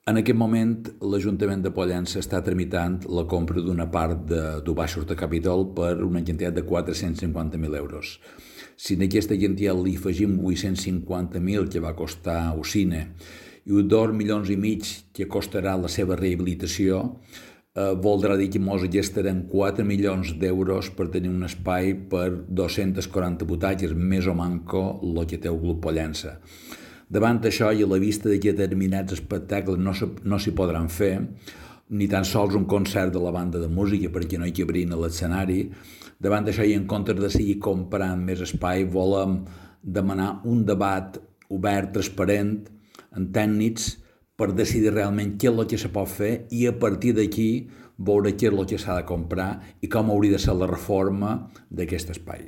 En aquest moment, l'Ajuntament de Pollença està tramitant la compra d'una part de Baixos de Capitol per una quantitat de 450.000 euros. Si en aquesta quantitat li afegim 850.000 que va costar Ocine i 2,5 milions que costarà la seva rehabilitació, voldrà dir que ens gastarem 4 milions d'euros per tenir un espai per 240 butaques, més o manco el que té el Club Pollença. Davant això i a la vista que determinats espectacles no s'hi podran fer, ni tan sols un concert de la banda de música perquè no hi cabrin a l'escenari, davant d'això i en comptes de seguir comprant més espai, volem demanar un debat obert, transparent, amb tècnics, per decidir realment què és el que se pot fer i a partir d'aquí veure què és el que s'ha de comprar i com hauria de ser la reforma d'aquest espai.